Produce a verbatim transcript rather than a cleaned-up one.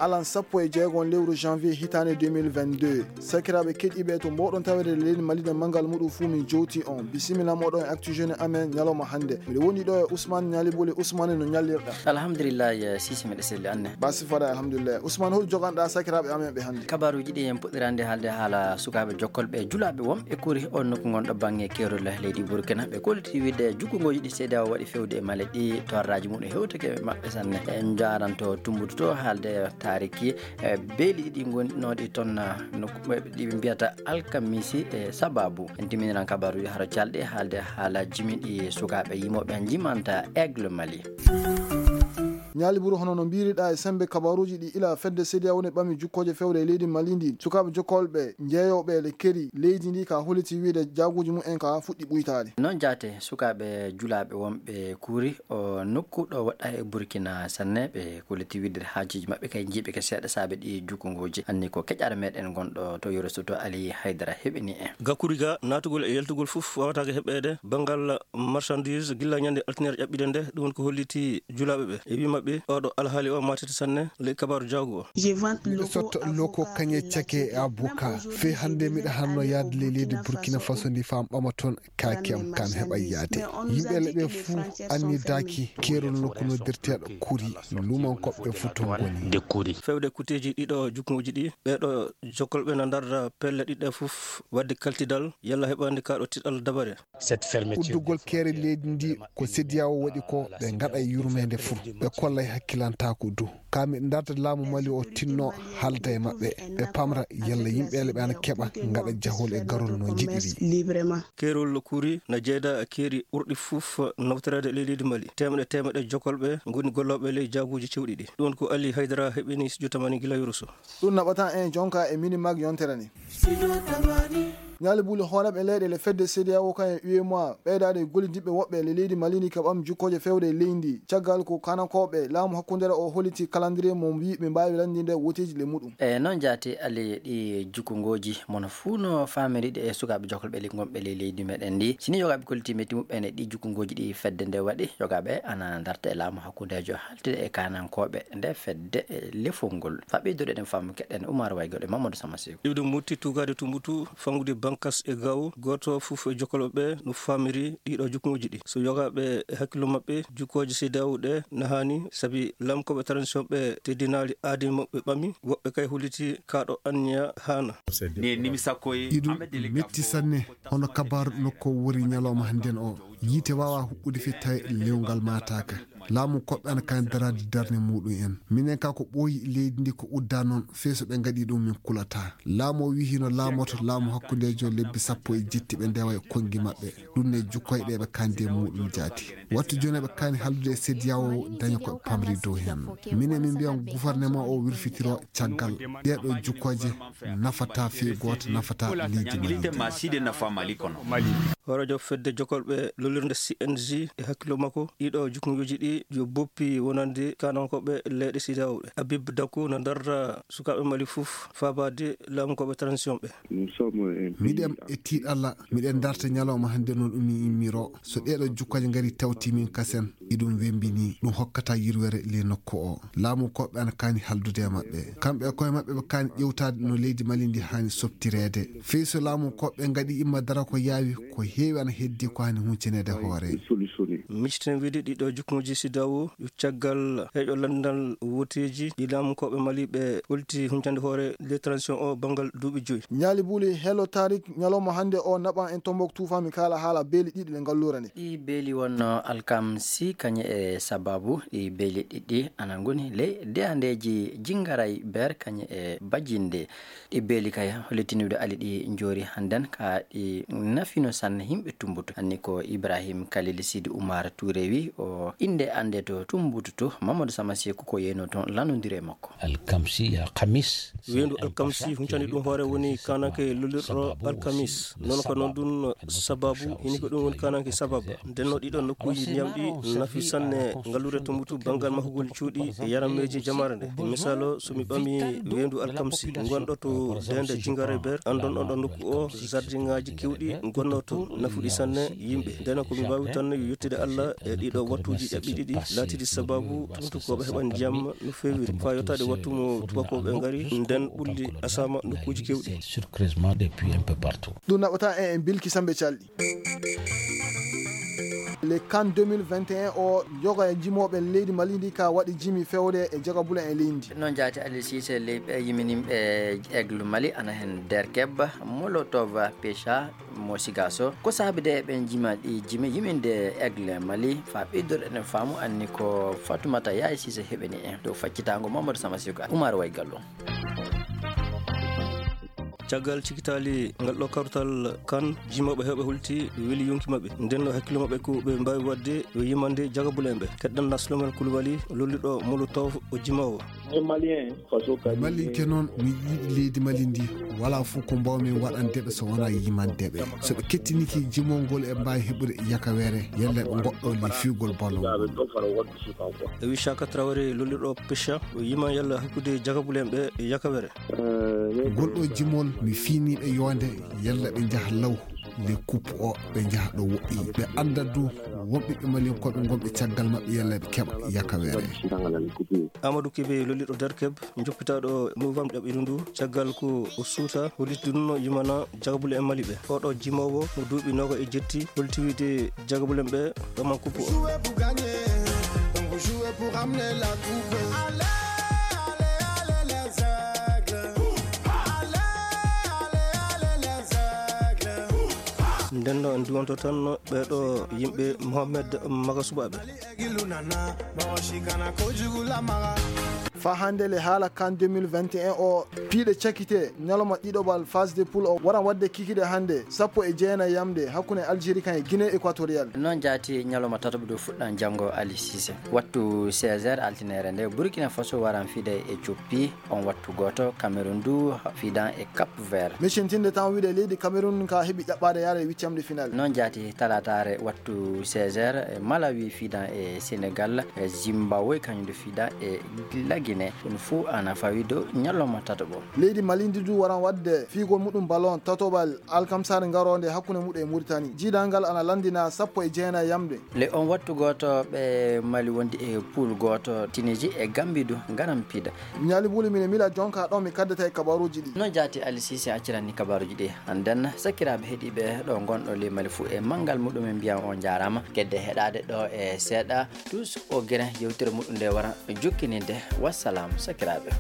alan sappo e jeego lewru janvier hitaande deux mille vingt-deux. Sakiraaɓe keɗiiɓe to mboɗon tawede leydi Mali nde manngal muɗum fuu min jowti on. Bisimilla moɗon e Actu Jeune amen ñalawma hannde. Miɗo woni ɗo e Ousmane Ñalibuli. Ousmane, no ñallirɗa? Alhamdulillah, eh, Sisi, miɗo selli, anne. Basi fada, alhamdulillah. Ousmane, hol joganɗa sakiraaɓe amen ɓe hannde? Kabaaruuji ɗi en puɗɗirande haalde haala sukaaɓe jokkolɓe julaaɓe wonɓe kuri on nokku ngonɗo bannge keerol leydi Burkina. Ɓe kolliti wiide jukkungooji ɗi C E D E A O waɗi fewde e Mali ɗi torraaji mum e hewtake maɓɓe sanne. En njaaranto Tumbutu to haalde taariki, eh, beeli ɗiɗi ngonnoɗi toon, ah, nokku ɓe, ɗi ɓe mbiyata alkamisi e sababu. En timminiran kabaaruuji haro calɗe haalde haala jimi ɗi sukaaɓe yimooɓe jimanta Aigle Mali. Ñaali Buru, hono no mbiriɗa e sembe kabaaruuji ɗi ila fedde C E D E A O woni ɓami jukkooje fewde e leydi Mali ndi, sukaaɓe jokkolɓe jeeyooɓe le keri leydi ndi ka holiti wiide jaaguuji mum en ka fuɗɗi ɓuytaade. Noon jaate sukaaɓe julaaɓe wonɓe kuri o nokku ɗo waɗɗa e Burkina sanne, ɓe kolliti wiide haajuuji maɓɓe kay njiiɓe ke seeɗa saabe ɗi jukkungooji. Anni ko keƴaare meɗen gonɗo to Yoro Soto Ali Haydara heɓini en. Gakuri ga naatugol e yaltugol fof wawataake heɓeede banngal marchandise gilla ñande altine ƴaɓɓiɗe nde, ɗum woni ko holliti julaaɓe ɓe. E wi maɓɓe, oɗo alhaali o matete sanne ley kabaaru jaagu o. Miɗo sotta loko kañe cake e abuka. Fey hannde miɗo hanno yaade ley leydi Burkina Faso ndi fam ɓama toon kaake am kan heɓa yaade. Yimɓe leɓe fuu annidaaki keerol nokku noddirteeɗo Kuri, lumankoɓe fuu toon ngoni. De Kuri. Fewde kuteeji ɗiɗo jukkuuji ɗi, ɓeeɗo jokkolɓe na ndarda pelle ɗiɗɗe fof waɗde kaltidal yalla heɓande kaɗo tiɗal dabare. Cette fermeture. Uddugol keere leydi ndi ko C E D E A O waɗi ko ɓe ngaɗa yurmeende fuu. Ɓe kollay hakkilantaaku du. Ka miɗo ndarda laamu Mali o tinno haalda e maɓɓe. Ɓe pamra yalla yimɓe le ɓe ana keɓa ngaɗa jahol e garol no njiɗiri. Keerol Kuri na jeeda keeri ɓurɗi fof nawtoreede ley leydi Mali. Teemɗe teemɗe jokkolɓe ngoni gollooɓe ley jaaguuji cewɗi ɗi. Ɗum ko Ali Haydara heɓini studio Tamani gila Yoroso. Ɗum naɓata en jonka e mini mag yontere ni. Ñaali Buli, hooreeɓe leyɗe le fedde C E D E A O kañum e U E M O A ɓeydaade e gollidiɓɓe woɓɓe le leydi Mali ni ka ɓam jukkooje fewde e leydi ndi. Caggal ko kanankooɓe laamu hakkundeere o holliti calendrier mo mbi ɓe mbaawi lanndinde woteeji le muɗum. E noon jaati ali ɗi jukkungooji mono fuu no faamiri ɗe e sukaaɓe jokkolɓe le gonɓe le leydi meɗen ndi. Sini yogaaɓe kolliti metti muɓɓen e ɗi jukkungooji ɗi fedde nde waɗi, yogaaɓe ana ndarta e laamu hakkundeejo haaltide e kanankooɓe nde fedde e lefol ngol. Fa ɓeydude eɗen faamu keɗen Umar Waygol e Mamadou Sama Seeku. Iwde mutti tugaade tumbutu, fangude bankas e gaw, gooto fof e jokkolɓe ɓe no faamiri ɗiɗo jukkuuji ɗi. So yogaaɓe e hakkillo maɓɓe, jukkooje C E D E A O ɗe na haani, sabi lamkooɓe transition ɓe teddinaali aadi maɓɓe ɓami, woɓɓe kay huliti kaɗo anniya haana. Iɗum metti sanne, hono kabaru nokko wori ñalawma hannden o. Yiite waawa huɓɓude fii tawi lewgal maataaka. Laamu koɓɓe ana kaani daraade darnde muɗum en. Minen ka ko ɓooyi leydi ndi ko udda noon, fii so ɓe ngaɗi ɗum min kulataa. Laamu o wiyi hino laamoto laamu hakkundeejo lebbi sappo e jetti ɓe ndewa e konngi maɓɓe. Ɗum ne jukkoy ɗe ɓe kandi e muɗum jaati. Wattu jooni ɓe kaani haldude e C E D E A O daña ko ɓe pamri dow heen. Minen min mbiyan gouvernement o wirfitiro caggal ɗeɗo jukkooje nafata fii gooto nafata leydi Mali. Hooreejo fedde jokolɓe lollirde C N J e hakkillo makko, ɗiɗo jukkuuji ɗi yo boppi wonande kanankooɓe leyɗe C E D E A O ɗe. Habib Daku na darra sukaaɓe Mali fof faabaade laamukooɓe transition ɓe. Miɗen e tiiɗalla, miɗen darta ñalawma hannde no ɗum immiro. So ɗeɗo jukkooje ngari tawti min kasen, iɗum wembini, ɗum hokkata yirwere ley nokku o. Laamu koɓɓe ana kaani haldude e maɓɓe. Kamɓe e koye maɓɓe ɓe kaani ƴewtaade no leydi Mali ndi haani soptireede. Fii so laamu koɓɓe ngaɗi imma dara ko yaawi, ko heewi ana heddi ko haani huncineede hoore. Micciten wiide ɗiɗo jukkuuji C E D E A O, yo caggal heƴo lanndal woteeji ɗi laamu koɓɓe Mali ɓe holti huncande hoore ley transition o banngal duuɓi joyi. Ñaali Buli, Hello Tarik, ñalawma hannde o naɓan en Tombouctou fami kaala haala beeli ɗiɗi ɗe ngalluura nde. Ɗi beeli wonno alkamsi kañe e sababu ɗi beeli ɗiɗi ana ngoni ley deyandeeji Jingaray Ber kañe e Bajinde. Ɗi beeli kay hollitiniiɗo ali ɗi njoori hannden ka ɗi nafino sanne yimɓe Tumbutu. Anni ko Ibrahim Kalil Sidi Umar Touré wi o innde annde to Tumbutu to Mamadou Sama Seeku ko yeyno toon lanndondire makko. Alkamsi ya kamis. Weendu alkamsi huncani ɗum hoore woni kananke lollirɗo alkamis. Noon ko noon ɗum sababu, hini ko ɗum woni kananke sababu. Ndenno ɗiɗo nokkuuji ndiyam ɗi nafi sanne ngalluure Tumbutu banngal mahugol cuuɗi e yarammeeji jamaare nde. E misaalo, so mi ɓami weendu alkamsi ngonɗo to deende Jingare Ber, anndon on ɗo nokku o, jardinŋaaji keewɗi ngonnoo to, nafuɗi sanne yimɓe. Ndena ko mi waawi tan yo yettude Allah e ɗiɗo wattuuji ƴaɓɓi. Ɗiɗi laatidi sababu tumtukooɓe heɓan jam no feewiri faa yottaade wattu mo tubakooɓe ngari nden ɓulli asama nokkuuji keewɗi. Surcrèsement depuis un peu partout. Ɗum naɓata en en bilki sambe calɗi. Le CAN deux mille vingt et un o, yoga e jimooɓe leydi Mali ndi ka waɗi jimi fewde e jagabule e leydi. Noon jaati Aliou Cissé, leyɓe yiminimɓe Aigle Mali ana heen Derkeb, Molotov, Pecha, mo Sigaso. Ko saabi de ɓen jima ɗi jimi yiminde Aigle Mali, faa ɓeydoɗen e faamu anni ko Fatoumata Yaye Cissé heɓini en dow faccitaango Mamadou Sama Siko, Oumar Way Gallo. Caggal cikitaali ngal ɗo kartal kan, jimooɓe heewɓe hulti weli yonki maɓɓe. Nden no hakkille maɓɓe ko ɓe mbaawi waɗde yo yimande jagabule en ɓe. Keɗɗen Naslomen Koulibaly, lolliɗo Molotov o jimoowo. Malinke noon, mi yiɗi leydi Mali ndi. Walaa fof ko mbaawmi waɗande ɓe so wonaa yimande ɓe. So ɓe kettinike jimol ngol, e mbaawi heɓude yakawere, yalla ɓe ngoɗɗo li fiugol ballon ngol. E wi Chaka Traoré, lolliɗo Pecha, o yima yalla hakkude jagabule en ɓe e yakawere. Ngol ɗo jimol, mi fiini ɓe yoonde, yalla ɓe njaha law le coupe o, ɓe njaha ɗo woɗɗi. Ɓe annda du won ɓiɓɓe Maliyankooɓe ngonɓe caggal maɓɓe, yalla ɓe keɓa yakawere. Amadou Kébé, lolliɗo Derkeb, njoppitaaɗo novembre ɗaɓɓiru ndu, caggal ko o suuta, holliti ɗum no yimana jagabule en Mali ɓe. Oɗo jimoowo mo duuɓi nooga e jetti, holti wiide jagabule en ɓe ɗoman coupe o. Nden no en duwanto tan ɓeeɗo yimɓe Mohamed Maga Suɓaaɓe. Faa hannde le haala CAN deux mille vingt et un o, piiɗe cakite, ñalawma ɗiɗoɓal phase de poule o waran waɗde kikiɗe hannde, sappo e jeenayi yamde, hakkunde Algérie kan e Guinée Équatoriale. Noon jaati, ñalawma tataɓo ɗo fuɗɗan janngo Ali Cissé. Wattu seize heures altineere nde, Burkina Faso waran fiide e Coppi. On wattu gooto, Cameroun du fiidan e Cap Vert. Mi cintinde tan wiide leydi Cameroun ka heɓi ƴaɓɓaade yaade huitième de finale. Noon jaati, talaataare wattu seize heures, e Malawi fiidan e Sénégal, e Zimbabwe kañum du fiidan e La Guinée. Ɗum fuu ana fawi dow ñalawma tataɓo. Leydi Mali ndi du waran waɗde fiigol muɗum ballon tatoɓal alkamsaare ngaroonde hakkunde muɗum e Mauritanie. Jiidal ngal ana lanndina sappo e jeenayi yamde. Le on wattu gooto ɓe Mali wondi e poule gooto, Tunisie e Gambie du ngaran piida. Ñaali Buli, mine mila jonka ɗon mi kaddata e kabaruuji ɗi. No jaati Ali Cissé acciranni kabaruuji ɗi. Hannden, sakiraaɓe heɗiiɓe ɗo ngonɗo le Mali fuu e manngal muɗum, en mbiyan on njaaraama. Kedde heɗaade ɗo e seeɗa, Tous au grain, yewtere muɗum nde wara jokkininde. Wassalam, sakiraaɓe.